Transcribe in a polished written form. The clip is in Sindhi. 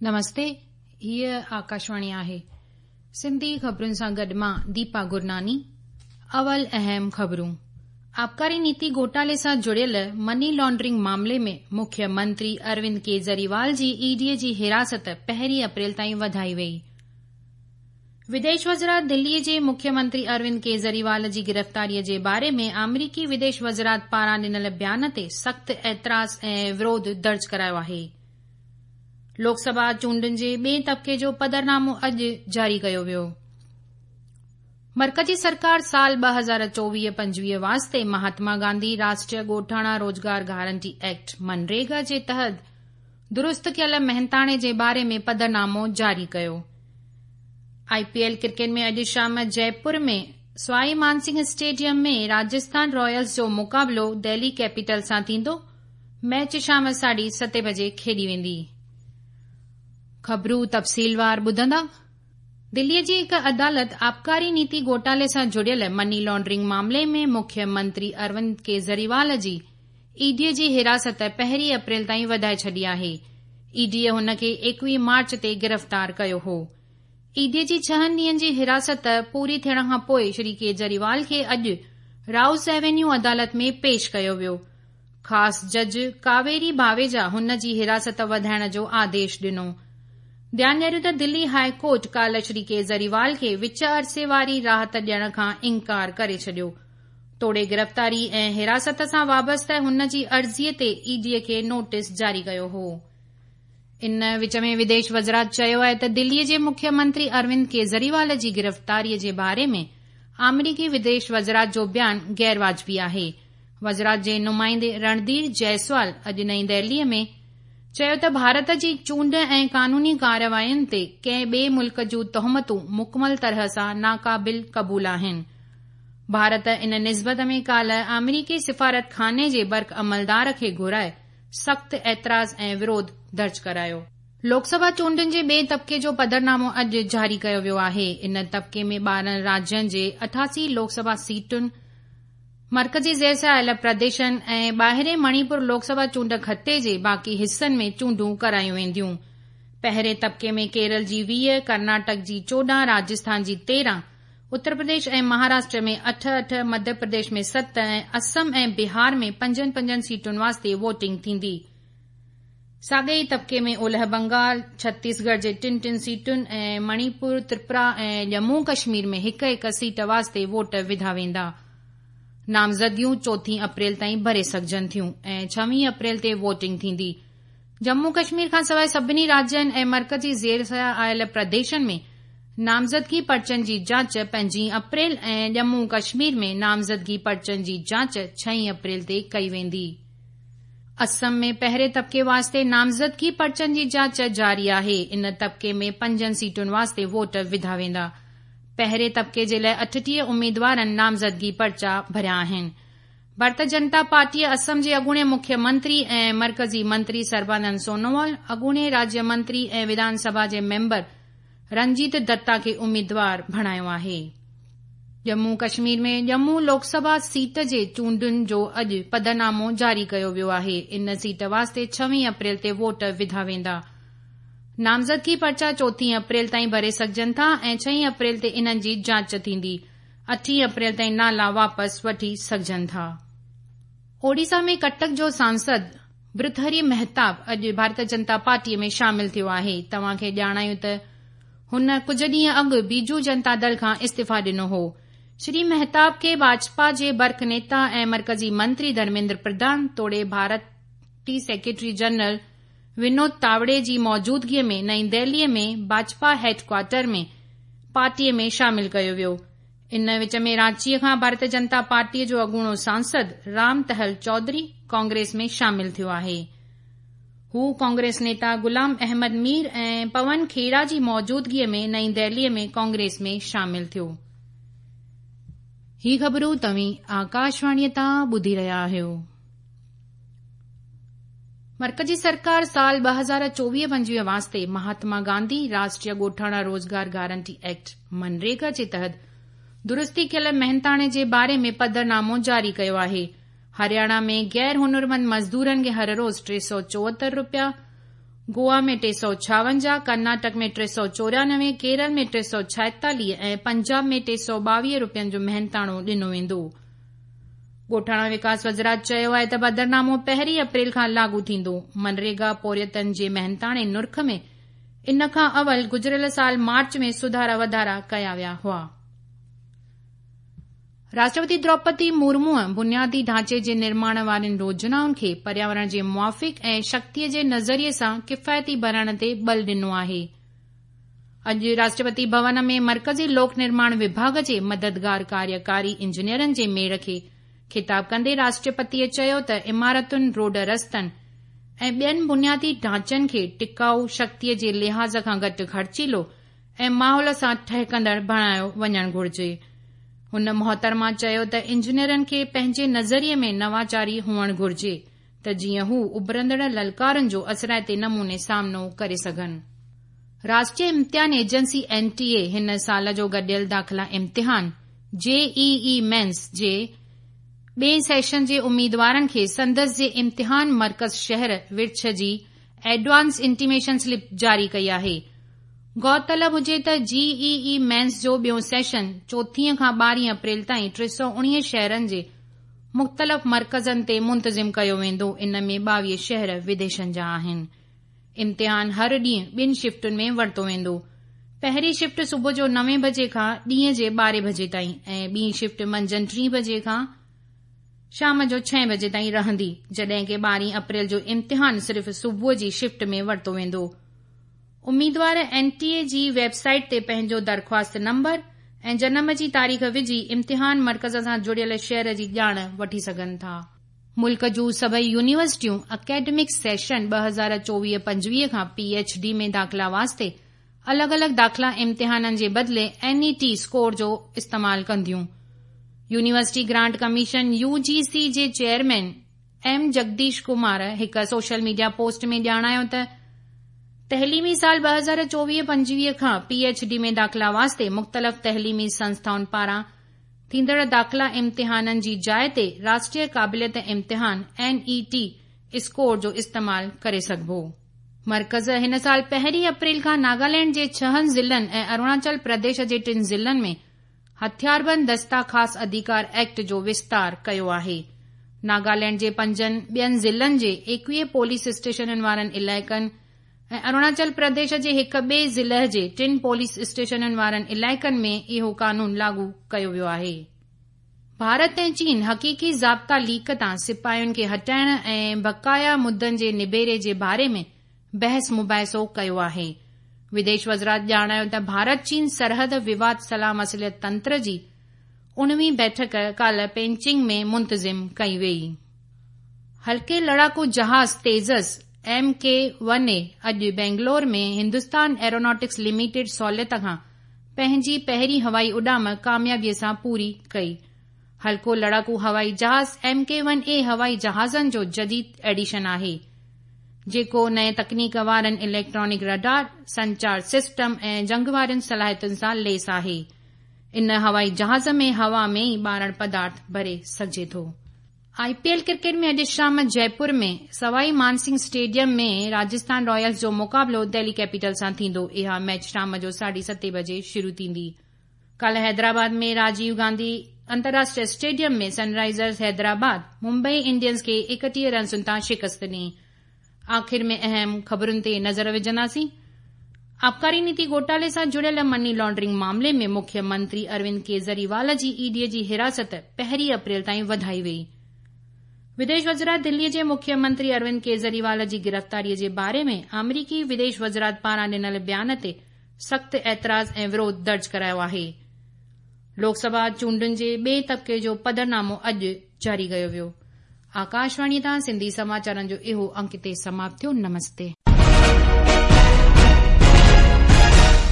نمستي هيء آڪاشواڻي آهي سنڌي خبرن سان گڏ مان ديپا گرناني اول اهم خبرون آبڪاري نيتي گهوٽالي سان جڙيل مني لانڊرنگ معاملي ۾ مکيه منتري اروند ڪيجريوال جي اي ڊي جي حراست پهرين اپريل تائين وڌائي وئي. وديش وزارت دلي جي مکيه منتري اروند ڪيجريوال جي گرفتاري جي باري ۾ آمريڪي وديش وزارت پاران ڏنل بيان تي سخت اعتراض ۽ وروڌ درج ڪرايو آهي. لوڪ سڀا چونڊن جي ٻئين طبقي جو پڌرنامو اڄ جاري ڪيو ويو. مرڪزي سرڪار سال 2024 25 واسطي مهاتما گانڌي راشٽريه ڳوٺاڻا روزگار گارنٽي ايڪٽ منريگا جي تحت درست ڪيل محنتاڻي جي باري ۾ پڌرنامو جاري ڪيو. آء پي ايل ڪرڪيٽ ۾ اڄ شام جئپور ۾ سوائي مانسنگهه اسٽيڊيم ۾ راجسٿان رائلز جو مقابلو دهلي ڪيپيٽل سان ٿيندو، ميچ شام ساڍي ستين بجي کيڏي ويندي. خبرون تفصيلوار ٻڌندا. دلي جي هڪ عدالت آبڪاري نيتي گهوٽالي سان جڙيل مني لانڊرنگ معاملي ۾ مکيه منتري اروند ڪيجريوال جي اي ڊي جي حراست پهرين اپريل تائين وڌائي ڇڏي آهي. اي ڊي هن کي 21 مارچ تي گرفتار ڪيو هو. اي ڊي جي ڇهن ڏينهن جي حراست پوري ٿيڻ کان پوء شري ڪيجريوال کي اڄ رائوز ايونيو عدالت ۾ پيش ڪيو ويو. خاص جج ڪاويري ڀاويجا هن جي حراست وڌائڻ جو آديش ڏنو. ڌيان ڏياريون ته دلي هاء ڪورٽ ڪالهه شري ڪيجريوال کي وچ عرصي واري راحت ڏيڻ کان انڪار ڪري ڇڏيو. توڙي گرفتاري ۽ حراست سان وابسته هن جي عرضي تي اي ڊي کي نوٽيس جاري ڪيو هو. ان وچ ۾ وديش وزارت چيو آهي ته دلي جي مکيه منتري اروند ڪيجريوال جي گرفتاري جي باري ۾ آمريڪي وديش وزارت جو بيان غير واجبي آهي. وزارت جي نمائندي رڻڌير جئسوال اڄ نئين دهلي ۾ چيو ته ڀارت جي چونڊ ۽ قانوني ڪاررواين تي ڪنهن ٻئي ملڪ جون تهمتون مڪمل طرح سان ناقابل قبول آهن. ڀارت ان نسبت ۾ ڪالهه آمريڪي سفارتخاني جي برک عملدار کي گهرائي سخت اعتراض ۽ وروڌ درج ڪرايو. لوڪ سڀا چونڊن جي ٻئي طبقي جو پڌرنامو اڄ جاري ڪيو ويو آهي. ان طبقي ۾ 12 راجين جي 88 لوڪ سڀا سيٽن، مرڪزي زير سايل پرديشن ۽ ٻاهرين مڻيپور لوڪ سڀا چونڊ خطي جي باقي حصن ۾ چونڊون ڪرايون وينديون. پهرين طبقي ۾ ڪيرل جي 20، ڪرناٽڪ جي 14، راجسٿان جي 13، اتر پرديش ۽ مهاراشٽر ۾ اٺ اٺ، مڌيه پرديش ۾ ست ۽ اسم ۽ بهار ۾ پنجن پنجن سيٽن واسطي ووٽنگ ٿيندي. ساڳئي ئي طبقي ۾ اولهه بنگال، ڇتيسڳڙهه جي ٽن ٽن سيٽن ۽ مڻيپور، ترپرا ۽ ڄمون ڪشمير ۾ هڪ هڪ سيٽ واسطي ووٽ وڌا ويندا. نامزدگيون چوٿين اپريل تائين ڀري سگهجن ٿيون ۽ ڇويهين اپريل تي ووٽنگ ٿيندي. ڄمون ڪشمير کانسواء سڀني راجين ۽ مرڪزي زير سايه آيل پرديشن ۾ نامزدگي پرچن جي جاچ پنجين اپريل ۽ ڄمون ڪشمير ۾ نامزدگي پرچن جي جاچ ڇهين اپريل تي ڪئي ويندي. اسم ۾ پهرين طبقي واسطي نامزدگي پرچن جي جاچ جاري آهي. ان طبقي ۾ پنجن سيٽن واسطي ووٽ وڌا ويندا. پهرين طبقي جي لاء 38 اميدوارن نامزدگي پرچا ڀريا آهن. ڀارتيه جنتا پارٽيء اسم جي اڳوڻي مکيه منتري ۽ مرڪزي منتري سربانند سونووال، اڳوڻي راجيه منتري ۽ وڌان سڀا جي ميمبر رنجيت دتا کي اميدوار بڻايو آهي. ڄمون ڪشمير ۾ ڄمون لوڪ سڀا سيٽ جي چونڊن جو اڄ پڌرنامو جاري ڪيو ويو آهي. ان سيٽ واسطي ڇويهين اپريل تي ووٽ وڌا ويندا. نامزدگي پرچا چوٿين اپريل تائين ڀري سگهجن ٿا ۽ ڇهين اپريل تي انهن جي جاچ ٿيندي. اٺين اپريل تائين نالا واپس وٺي سگهجن ٿا. اوڊيسا ۾ ڪٽڪ جو سانسد برٿهري مهتاب اڄ ڀارتيه جنتا پارٽيء ۾ شامل ٿيو آهي. توهان کي ڄاڻايون ته هن ڪجهه ڏينهن اڳ بيجو جنتا دل کان استعيفيٰ ڏنو هو. شري مهتاب کي ڀاجپا جي برک نيتا ۽ مرڪزي منتري ڌرميندر پرڌان توڙي ڀارتي سيڪريٽري جنرل ونود تاوڙي جي موجودگيء ۾ نئين دهليء ۾ ڀاجپا هيڊ ڪوارٽر ۾ پارٽيء ۾ شامل ڪيو ويو. ان وچ ۾ رانچيء کان ڀارتيه جنتا پارٽيء جو اڳوڻو سانسد رام تهل چوڌري ڪانگريس ۾ شامل ٿيو آهي. هو ڪانگريس نيتا غلام احمد مير ۽ پون کيڙا جي موجودگيء ۾ نئين دهليء ۾ ڪانگريس ۾ شامل ٿيو. هي خبرون توهين آڪاشواڻيء تان ٻڌي رهيا آهيو. مرڪزي سرڪار سال 2024-25 واسطي مهاتما گانڌي راشٽريه ڳوٺاڻا روزگار گارنٽي ايڪٽ منريگا جي تحت درستي ڪيل محنتاڻي جي باري ۾ پڌرنامو جاري ڪيو آهي. هرياڻا ۾ غير هنرمند مزدورن کي هر روز 374 رپيا، گوا ۾ 356، ڪرناٽڪ ۾ 394، ڪيرل ۾ 346 ۽ پنجاب ۾ 322 رپين جو محنتاڻو ڏنو ويندو. ڳوٺاڻا وڪاس وزارت چيو آهي ته پڌرنامو پهرين اپريل کان لاڳو ٿيندو. منريگا پورهيتن جي محنتاڻي نرخ ۾ ان کان اول گذريل سال مارچ ۾ سڌارا واڌارا ڪيا ويا هئا. راشٽرپتي دروپدي مرموء بنيادي ڍانچي جي نرماڻ وارين يوجنائن کي پرياورڻ جي موافق ۽ شڪتيء جي نظريي سان ڪفايتي بڻائڻ تي ٻل ڏنو آهي. اڄ راشٽرپتي ڀون ۾ مرڪزي لوڪ نرماڻ وڀاڳ جي مددگار ڪاريڪاري انجنيئرن جي ميڙ کي خطاب ڪندي راشٽرپتيء چيو ته عمارتن، روڊ رستن ۽ ٻين بنيادي ڍانچن کي ٽڪائو، شڪتيء جي لحاظ کان گهٽ خرچيلو ۽ ماحول سان ٺهڪندڙ بڻايو وڃڻ گهرجي. هن محترمه چيو ته انجنيئرن کي پنهنجي نظريي ۾ نواچاري هئڻ گهرجي ته جيئن هو اڀرندڙ للڪارن جو اثرائتي نموني سامنو ڪري سگهن. راشٽريه امتحان ايجنسي، اين ٽي اي، هن سال جو گڏيل داخلا امتحان، جي اي اي مينز، جي ٻئين سيشن جي اميدوارن کي سندس جي امتحان مرڪز شهر ورڇ جي ايڊوانس انٽيميشن سلپ جاري ڪئي آهي. غور طلب هجي ته جي اي اي مينز جو ٻيون سيشن چوٿين کان ٻارهين اپريل تائين 319 شهرن جي مختلف مرڪزن تي منتظم ڪيو ويندو، ان ۾ 22 شهر وديشن جا آهن. امتحان هر ڏينهن ٻن شفٽن ۾ ورتو ويندو. پهرين شفٽ صبح جو نوين بجي کان ڏينهن جي ٻارهين بجي تائين ۽ ٻي شفٽ منجهند ٽين بجي کان شام جو ڇهين بجي تائين رهندي، جڏهن ڪي ٻارهين اپريل جو امتحان صرف صبح جي شفٽ ۾ ورتو ويندو. اميدوار اين ٽي اي جي ويب سائيٽ تي پنهنجو درخواست نمبر ۽ جنم جي تاريخ وجهي امتحان مرڪز سان جڙيل شهر جي ڄاڻ وٺي سگهن ٿا. ملڪ جون سڀئي يونيورسٽيون اڪيڊمڪ سيشن 2024-25 کان پي ايڇ ڊي ۾ داخلا واسطي الڳ الڳ داخلا امتحانن جي بدلي اين اي ٽي اسڪور جو استعمال ڪنديون. University grant commission, U جي سي، جي چيئرمين ايم جگديش ڪمار هڪ سوشل ميڊيا پوسٽ ۾ ڄاڻايو ته تعليمي سال 2024-25 کان پي ايڇ ڊي ۾ داخلا واسطي مختلف تعليمي سنسٿائن پاران ٿيندڙ داخلا امتحانن جي جاء تي راشٽريه قابليت امتحان، اين اي ٽي، اسڪور جو استعمال ڪري سگهبو. مرڪز هن سال پهرين اپريل کان ناگالينڊ جي ڇهن ضلعن ۽ اروناچل پرديش جي ٽن ضلعن ۾ هٿياربند دستا خاص اڌيڪار ايڪٽ جو وستار ڪيو آهي. ناگالينڊ جي پنجن ٻين ضلعن جي 21 پوليس اسٽيشنن وارن علائقن ۽ اروناچل پرديش جي هڪ ٻئي ضلع جي ٽن پوليس اسٽيشنن وارن علائقن ۾ اهو قانون لاڳو ڪيو ويو آهي. ڀارت ۽ چين حقيقي ضابطا ليڪ تان سپاهين کي هٽائڻ ۽ بقايا مدن جي نبيري جي باري ۾ بحث مباحثو ڪيو آهي. وديش وزارت ڄاڻايو ته ڀارت چين سرحد وواد صلاح مصلحت تنتر جي اڻويهين بيٺڪ ڪالهه پينچنگ ۾ منتظم ڪئي وئي. هلڪي لڙاڪو جهاز Tejas M K one A اڄ بينگلور ۾ هندستان ايروناٽڪس لميٽيڊ سهولت کان پنهنجي پهرين هوائي اڏام ڪاميابي سان پوري ڪئي. هلڪو لڙاڪو هوائي جهاز ايم ڪي ون اي هوائي جهازن جو جديد ايڊيشن آهي. جيڪو نئين تڪنيڪ وارن اليڪٽرانڪ رڊار، سنچار سسٽم ۽ جنگ وارين صلاحيتن سان ليس آهي. ان هوائي جهاز ۾ هوا ۾ ئي ٻارڻ پدارٿ ڀري سگهجي ٿو. آء پي ايل ڪرڪيٽ ۾ اڄ شام جئپور ۾ سوائي مانسنگهه اسٽيڊيم ۾ راجسٿان رائلز جو مقابلو دهلي ڪيپيٽل سان ٿيندو. اها ميچ شام جو ساڍي ستين بجي شروع ٿيندي. ڪالهه حيدرآباد ۾ راجيو گانڌي انترراشٽريه اسٽيڊيم ۾ سن رائيزرز حيدرآباد ممبئي انڊينز کي 31 رنسن تان شڪست ڏني. آخر ۾ اهم خبرن تي نظر وجهنداسين. آبڪاري نيتي گهوٽالي سان جڙيل مني لانڊرنگ معاملي ۾ مکيه منتري اروند ڪيجريوال جي اي ڊي جي حراست پهرين اپريل تائين وڌائي وئي. وديش وزارت دلي جي مکيه منتري اروند ڪيجريوال جي گرفتاري جي باري ۾ آمريڪي وديش وزارت پاران ڏنل بيان تي سخت اعتراض ۽ وروڌ درج ڪرايو آهي. لوڪ سڀا چونڊن جي ٻئي طبقي جو پڌرنامو اڄ جاري ڪيو ويو. آڪاشواڻي تان سنڌي سماچارن جو اهو انڪ هتي سماپت ٿيو. نمستي.